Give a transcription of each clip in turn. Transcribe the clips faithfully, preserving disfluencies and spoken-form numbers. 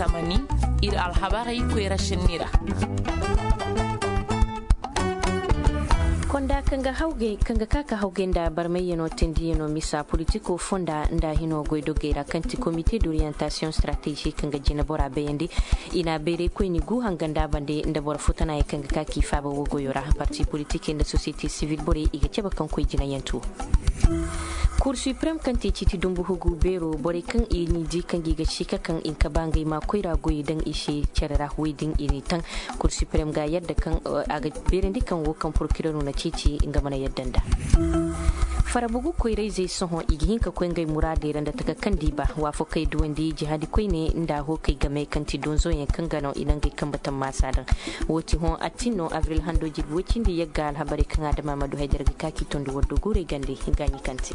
Zamani, iri alhabarey koyra sinni ra. Konda kaŋ ga hawgay kaŋ ga ka ka hawgay nda barmayyano tindiyano misa politiko fonda nda hino goydogey ra kaŋ ti komite d'orientation stratégie kaŋ ga jina bora bayandi. I na bayray koyni gu hanga nda bande nda boro fo tana yaŋ kaŋ ga ka k'i faaba wo goyo ra parti politik nda société civile borey i ga cabe kaŋ koy jinayantu. Cour suprême kaŋ te ciiti dumbu hugu beero borey kaŋ i n'i di kaŋ ga i ga si ka kaŋ i ga ba ngey ma koyra goyey daŋ i se care ra wo-din i n'i taŋ. Cour suprême ga yadda kaŋ a ga beerandi kaŋ wo kaŋ porokirero na ciiti nga mana yadda nda. Farabugu koyrayzey sohõ i ga hin ka koy ngey muraadey ra nda taka kaŋ di ba waafakey duwandi jihaadi koyne nda hookey game kaŋ ti donzoyaŋ kaŋ ga no i na ngey kambe tammaasa daŋ. Wo ti hõ attin no abril hando jirbi woy cindi yagga alhabarey kaŋ adama ma du haydara ga ka k'i tondi wardo guurey gande gaaɲi kaŋ te.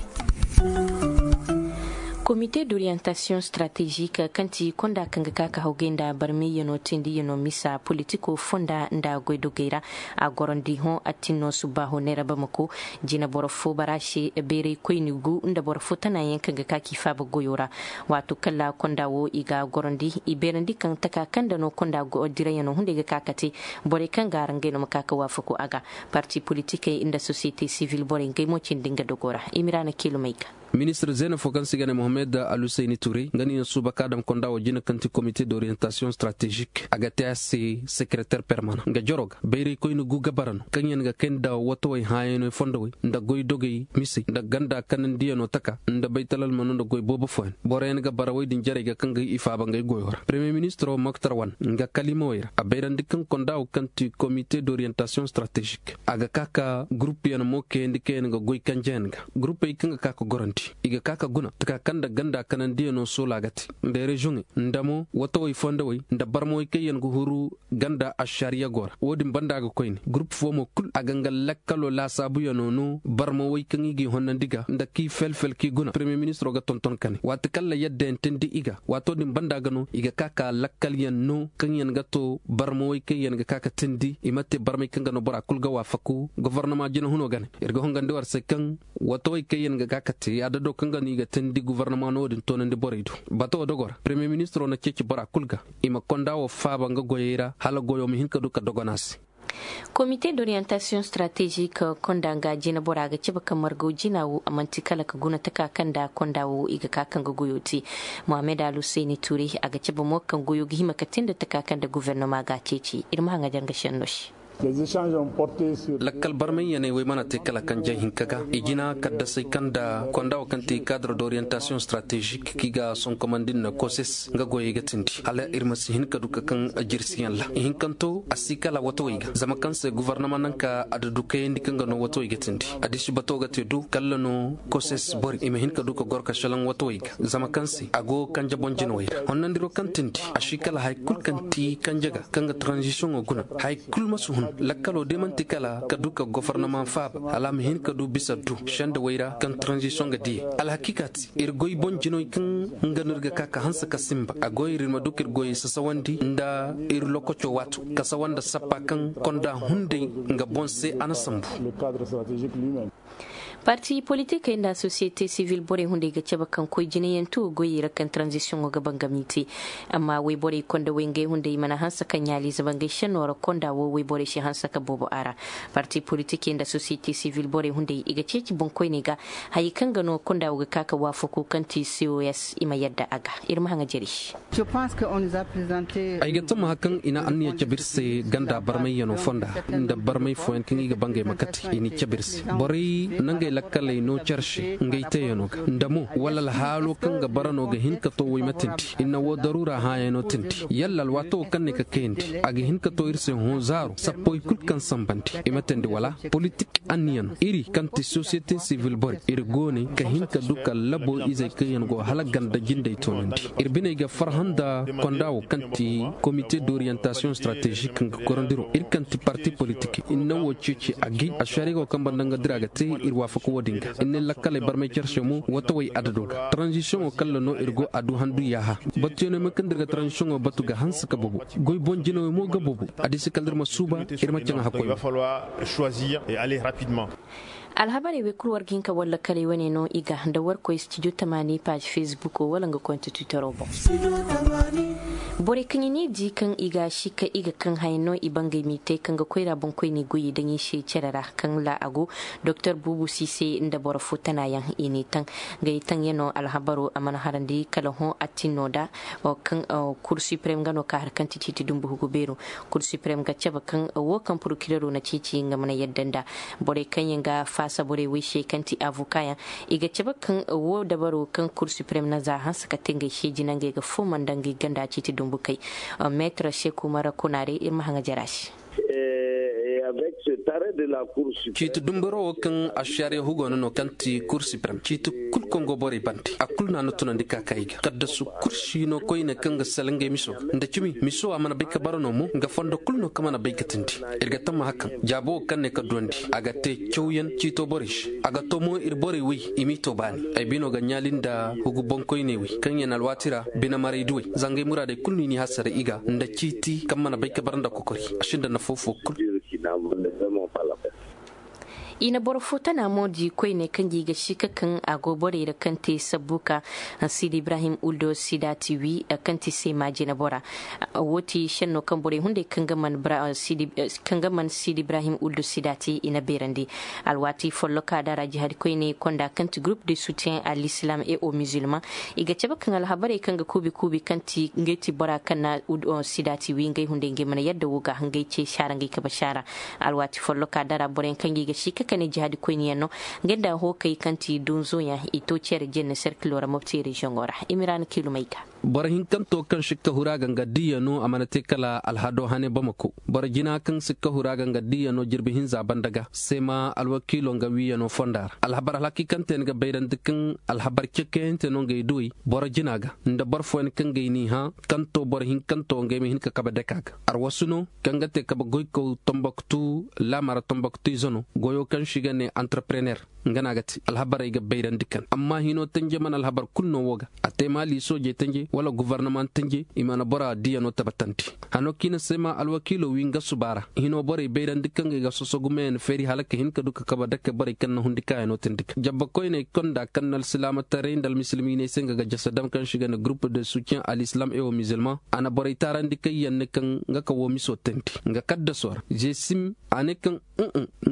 Komite d'orientation stratégique kaŋ ti konda kaŋ ga ka ka hawgay nda barmiyano tindiyano misa politiko fonda nda goydogey ra. A gorandi hõ attin no subbaaho neera bamako jina boro fo bara se beeray koyni gu nda boro fo tanayaŋ kaŋ ga ka k'i faaba goyo ra. Waato kala konda wo i ga gorandi i beerandi kaŋ taka kaŋ da no konda go dirayano hunday ga ka ka te. Borey kaŋ ga araŋ gay no ma ka ka waafaku a ga. Parti politikey nda société civile borey ngey mo cindi nga dogo ra i ma ra na kiilumey ga. Ministir zeena fo kaŋ se i ga ne mohammed alhuseyni ture nga no i na suuba ka dam konda wo jina kaŋ ti komite d'orientation stratégique a ga te a se sekereter permanent nga jaro ga bayraykoyne gu ga bara no kaŋ yaŋ ga kay nda watawey hãayaney fondowey nda goydogey misey nda ganda kanandiyano taka nda baytalalmano nda goy boobo fooyaŋ boro yaŋ ga bara woy din jarey ga kaŋ ga i faaba ngey goyo ra premier ministiro moktar wan nga kalimawey ra a bayrandi kaŋ konda wo kaŋ ti komite d'orientation stratégique a ga ka ka gurup yaŋ mo kayandi kaŋ yaŋ ga goy kanjeyaŋ ga gurupey kaŋ ga ka ka gorandi i ga ka ka guna taka kaŋ nda ganda kanandiyano soola ga te nda reziyoŋey nda mo watawey fondowey nda barmawey kaŋ yaŋ ga huru ganda ašariya go ra wo- din banda ga koyne gurup fo mo kulu a ga nga lakkalo laasaabuyano no barmawey kaŋ i g'i honnandi ga nda k'i fel-fel k'i guna premier ministiro ga tonton ka ne waati kaŋ ra yadda yaŋ teendi i ga waato din banda ga no i ga ka ka lakkal yaŋ no kaŋ yaŋ ga to barmawey kaŋ yaŋ ga ka ka teendi i ma te barmey kaŋ ga no bora kulu ga waafaku gofornama jina huno ga ne iri ga hongandi war se kaŋ watawey kaŋ yaŋ ga ka ka te adado kaŋ ga no i ga teendi gofornama no wo- din toonandi borey do bato wo dogo ra premier ministiro na ceeci bora kulu ga i ma konda wo faaba nga goyey ra hala goyo ma hin ka du ka dogon a se. Komite d'orientation stratégique konda nga jina bora ga cabe ka margaw jina wo a manti kala ka guna taka kaŋ nda konda wo i ga ka kaŋ ga goyo te. Mohammed alhuseyni ture a ga cabe mo kaŋ goyo ga hima ka te nda taka kaŋ nda guvernoma ga a ceeci iri ma haŋ a jaŋ ga senno se. Lakkal barmay yaney wey mana te kala kanje hinka ga i jina kaddasey kaŋ nda konda wo kaŋ te cadre d'orientation stratégique kaŋ i ga sonkomandi nda koses nga goyey ga tindi hala iri ma si hin ka du ka kaŋ jirsiyaŋ ra ihinkanto a si kala watawey ga zama kaŋ se gouvernement naŋ ka a da du kayandi kaŋ ga no watawey ga tindi. Addishi bato ga te du kala no koses bori i ma hin ka du ka goro ka shalaŋ watawey ga zama kaŋ se a go kanje boŋ jinawey ra honnandiro kaŋ tindi a si kala hari kulu kaŋ ti kanje ga kaŋ ga transition wo guna hari kulu ma si hun lakkalo day manti kala ka du ka gofornama faaba hala a ma hin ka du bisa du sendawey ra kaŋ transition ga diyey alhakiika te iri goy boŋ jinoy kaŋ nga no iri ga ka ka hanse ka simba a goy iri ma du ka iri goyey sasawandi nda iri lokoco waato ka sawa nda sappa kaŋ konda hunday nga boŋ se a na sambu. Parti politikey nda société civile borey hunday ga cabe kaŋ koy jinayantu goyey ra kaŋ transition ga bangami te. Amma wayborey konda way ngey hunday mana hanse ka ɲaalize bangey senno ra konda wo wayborey si hanse ka boobo a ra. Parti politikey nda société civile borey hunday i ga ceeci boŋkoyney ga hayey kaŋ ga no konda wo ga ka ka waafaku kaŋ ti cos i ma yadda a ga. Iri ma haŋa jari. Ay ga tama kaŋ i na anniya cabe iri se ganda barmayyano fonda nda barmay fooyaŋ kaŋ i ga bangay ma kate i n'i cabe iri se borey nangey lakkaley no care se ngey teeyano ga nda mo wala alhaalo kaŋ ga bara no ga hin ka to way ma tindi i na wo daruura hãayano tindi yalla alwaato wo kaŋ ne ka kayandi a ga hin ka to iri se hõ zaaro sappoy kulu kaŋ sambandi i ma teendi wala politik anniya no iri kaŋ ti sosiyete sivil borey iri go ne ka hin ka du ka labo izey kaŋ yaŋ go hala ganda jindey toonandi. Iri biney ga farhã nda konda wo kaŋ ti komite d'orientation stratégique kaŋ ga gorandi ro iri kaŋ ti parti politik iri naŋ wo ceeci agay ashariya wo kaŋ banda nga dira ga te iri waafaku wo- din ga iri ne lakkaley barmay care se mo wato way adado ga transition wo kalla no iri go a du handu yaaha. Batuyaŋ no ay ma kaŋ da iri ga transition wo batu ga hanse ka bobo goy boŋ jinawey mo ga bobo. A di se kala da iri ma suuba iri ma caŋ a hakkoy. Alhabarey wey kulu war ga hin ka walla kaley wane no i ga nda war koy studio tamaani paazi facebook wala nga konti twittero boŋ. Borey kaŋ i ne di kaŋ i ga si ka i ga kaŋ hayaŋ no i bangay m'i te kaŋ ga koyra boŋ koyne goyey daŋ i se care ra kaŋ la a go. Doktor buubu si se nda boro fo tana yaŋ i n'i taŋ. Ngey taŋ yaŋ no alhabaro a mana harandi kala hõ a tin no da. Kaŋ kur supreme nga no ka har kaŋ ti ciiti dumbu hugu beero. Kur supreme ga cabe kaŋ wo kaŋ porokireero na ceeci nga mana yadda nda borey kaŋ yaŋ ga faasa borey way se kaŋ ti avoka yaŋ. I ga cabe kaŋ wo dabaro kaŋ kur supreme na za hanse ka te ngey se jina ngey ga fooma nda ngey ganda ciiti dumbu kay. Meetar seku mara kunaare iri ma haŋa jara se. Ciiti dumburo wo kaŋ a siyar yahugo no no kaŋ ti kur supreme ciiti kulu kaŋ go borey bande a kulu no a na tunandi ka ka i ga kaddasu kulu si no koyne kaŋ ga sala ngey miso ga nda cimi miso a mana bay ka bara no mo nga fondo kulu no kaŋ mana bay ga tindi. Iri ga tamma hakan jaabo wo kaŋ ne ka duwandi a ga te cawyaŋ ciito borey se a ga to mo iri borey way i m'i to baani. Ay bino ga ɲaali nda hugu boŋkoyney way kaŋ yaŋ alwaati ra bine maray duwey zangay muraadey kulu no i n'i hasara i ga nda ciiti kaŋ mana bay ka bara nda kokori. A sinda nafa fo kulu. I na boro fo tana mo di koyne kaŋ ga i ga si ka kaŋ a go borey ra kaŋ te sabbu ka sidi ibrahim uldo sidati wi kaŋ ti seema jina bora. Wo ti senno kaŋ borey hunday kaŋ ga man sidi ibrahim uldo sidati i na beerandi. Alwaati folloka da ra jihadi koyne konda kaŋ ti groupe de soutien a l'islam et au musulman. I ga cabe kaŋ alhabarey kaŋ ga kuubi kuubi kaŋ ti ngey ti bora kaŋ na sidati wi ngey hunday ngey mana yadda wo ga ngey ce saara ngey kabe saara. Alwaati folloka dara boroyaŋ kaŋ ga i ga si ka kane jihadi koyniyaŋ no. Ngey nda hokey kaŋ ti donzoyaŋ i to ceere jenne serkilo ra mopti reziyoŋo ra. Imirana kilumey ga. Boro hinkanto kaŋ sikka hura ga nga diya no a mana te kala alhado hane bamako boro jina kaŋ sikka hura ga nga diya no jirbi hinza banda ga seema alwakiilo nga wiya no fonda ra alhabar alhakikante ni ga bayrandi kaŋ alhabar cekeyante no ngey duwey boro jina ga nda boro fooyaŋ kaŋ gay n'i hã kaŋ to boro hinkanto ngey ma hin ka kabe dake a ga. Arwasu no kaŋ ga te kabe goykaw tomboktu laamara tomboktu ize no goyo kaŋ se i ga ne entrepreneur. Nga no a ga te alhabarey ga bayrandi kaŋ amma hino tanje mana alhabar kulu no wo ga a te maali soojey tanje wala gobornama tanje i mana bora diyano tabbatandi. Hano kaŋ i na seema alwakiilo wi nga suba ra hino borey bayrandi kaŋ ga i ga soso gumeyaŋ feeri hala ka hin ka du ka kabe dake borey kaŋ na hundi kaayano tindi ga jabba koyney konda kaŋ na alsilaamataray nda almisilmiiney se nga ga jasa dam kaŋ se i ga ne groupe de soutien a l'islam et au musulman. A na borey taarandi kaŋ yaŋ ne kaŋ nga ka wo miso tandi nga kaddaso ra zeesim a ne kaŋ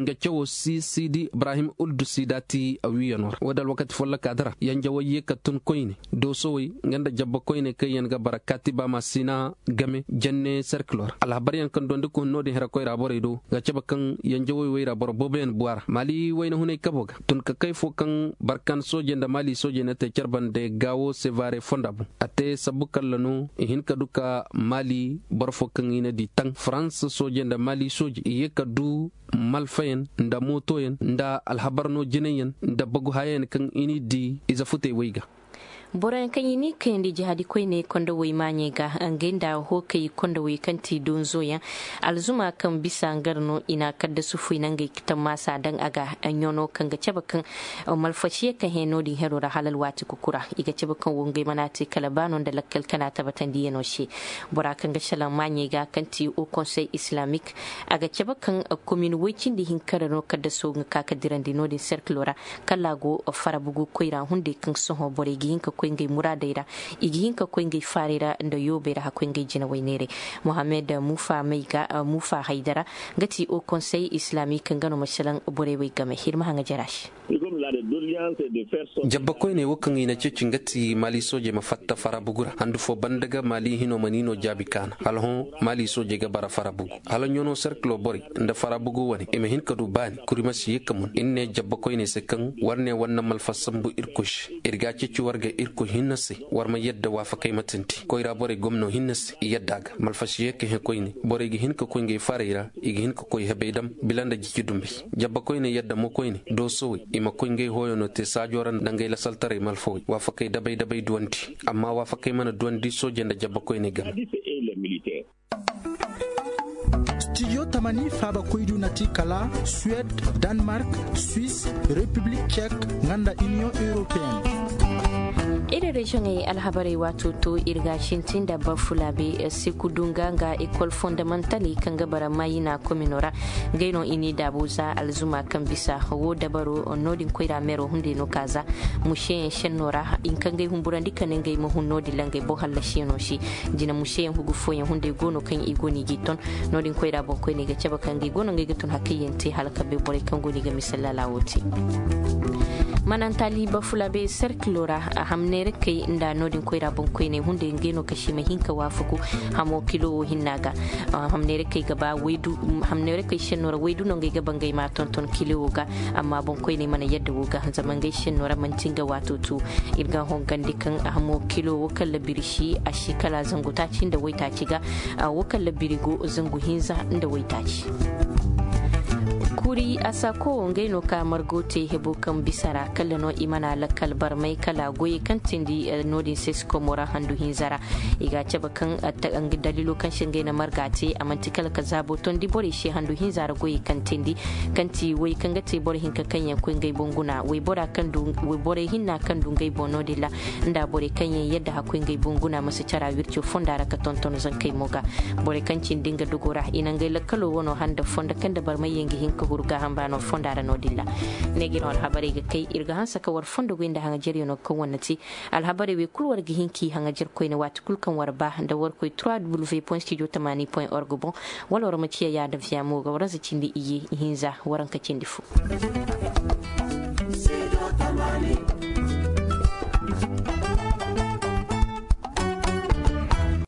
nga cawo si sidi ibrahim uldu sidati a wiyano ra wo da alwakati folloka dira yanjawey ye ka tun koyne doosowey nga nda jabba koyne kaŋ yaŋ ga bara kaati ba ma sina game janne serkilo ra alhabaryaŋ kaŋ dondi ka hun no- din hira koyra borey do ga cabe kaŋ yanjawey wey ra boro booboyaŋ buwa ra maali wayna hunay kabo ga tun ka kay fo kaŋ barkan soojey nda maali soojey na te care bande gaawo sevare fonda boŋ a te sabbu kalla no i hin ka du ka maali boro fo kaŋ i na di taŋ farans soojey nda maali soojey i ye ka du malfayaŋ nda mootoyaŋ nda alhabar no jinayyaŋ nda bagu hayayaŋ kaŋ i n'i di ize futey wey ga. Boroyaŋ kaŋ i n'i kayandi jihadi koyne kondowey maaɲey ga ngey nda hookey kondowey kaŋ ti donzoyaŋ alzuma kaŋ bisa ngar no i na kaddasu fuy nangey tammaasa daŋ a ga. Ɲono kaŋ ga cabe kaŋ malfasiye kaŋ hẽ no- din hero ra hala alwaati kuku ra i ga cabe kaŋ wo ngey mana te kala ba no nda lakkal kana tabbatandiyano se. Bora kaŋ ga salaŋ maaɲey ga kaŋ ti o konsey islamik a ga cabe kaŋ komin woy cindi hinka ra no kaddaso ga ka ka dirandi no- din serkilo ra kala a go farabugu koyra hunday kaŋ sohõ borey ga hin ka koy ngey muraadey ra i ga hin ka koy ngey faarey ra nda yoobey ra hakkoy ngey jinawey neeray. Mohammed mufa may ga mufa haydara nga ti o konsey islamik nga no ma salaŋ borey wey game iri ma haŋa jara se. Jabba koyney wo kaŋ i na ceeci nga ti maali soojey ma fatta farabugu ra handu fo banda ga maali hino ma ni no jaabi kaana hala hõ maali soojey ga bara farabugu hala ɲono serkilo borey nda farabugu wane i ma hin ka du baani kuri ma si ye ka mun iri ne jabba koyney se kaŋ war ne war na malfa sambu irkoy se iri ga a ceeci war ga irkoy hinne se war ma yadda waafakey ma tindi koyra borey gomno hinne se i yadda a ga malfa si ye ka hẽ koyne borey ga hin ka koy ngey faarey ra i ga hin ka koy hebey dam bila nda jici dumbey. Jabba koyne yadda mo koyne doosowey i ma koy ngey hooyano te saajo ra nda ngey lasaltaray malfawey waafakey dabay dabay duwandi amma waafakey mana duwandi soojey nda jabba koyne game. Studio tamani faaba koydu na ti kala suwed, danemark, suisse, repiblik cek, nga nda iniyoŋ europeen. Iri reziyoŋey alhabarey waato to iri ga sintin da bafulabe, seku dunga nga ekol fondamantaley kaŋ ga bara mayina komino ra. Ngey no i n'i daabu za alzuma kaŋ bisa wo dabaro no- din koyra meero hunday no ka za museyaŋ senno ra. Hinka ngey humburandi ka ne ngey ma hun no- din ra ngey boŋ hallasiyaŋo se. Jina museyaŋ hugu fooyaŋ hunday go no kaŋ i go no i g'i ton. No- din koyra boŋ koyne ga cabe kaŋ ngey go no ngey ga tun hakayyaŋ te hala ka bay borey kaŋ go no i ga misalla laawo te. Manantali bafulabe serkilo ra hamneerakey nda no- din koyra boŋ koyne hunday ngey no ka sima hinka waafaku hamo kilo wo hinna ga. Hamneerakey ga ba waydu hamneerakey senno ra waydu no ngey ga ba ngey ma tonton kilo wo ga. Amma boŋ koyney mana yadda wo ga zama ngey senno ra manti nga waato tu. Iri ga hongandi kaŋ hamo kilo wo kala birisi a si kala zangu taaci nda waytaaci ga. Wo kala birigo zangu hinza nda waytaaci. Kuri asako wo ngey no ka margo te hebo kaŋ bisa ra kala no i mana lakkal barmay kala goyey kaŋ tindi no- din se si komo ra handu hinza ra. I ga cabe kaŋ daliilo kaŋ se ngey na marga te a manti kala ka zaabo tondi borey se handu hinza ra goyey kaŋ tindi kaŋ ti way kaŋ ga te boro hinka kaŋ yaŋ koy ngey boŋ guna wayborey hinna kaŋ du ngey boŋ no- din ra. Nda borey kaŋ yaŋ yadda hakkoy ngey boŋ guna ma si cara wirco fonda ra ka tonton zankey mo ga. Borey kaŋ cindi nga dogo ra i na ngey lakkalo wano handa fondo kaŋ da barmay yaŋ ga hin ka huru gaaham baano fonda ra no- din ra. Ne ga no alhabarey ga kay iri ga hanse ka war fondo goy nda haŋajeryaŋo kaŋ wane te. Alhabarey wey kulu war ga hin k'i haŋajer koyne waati kulu kaŋ war ba nda war koy trois w point studio tamani point org boŋ. Wala war ma ciya yaada viya mo ga waranza cindi iyye ihinza waranka cindi fo.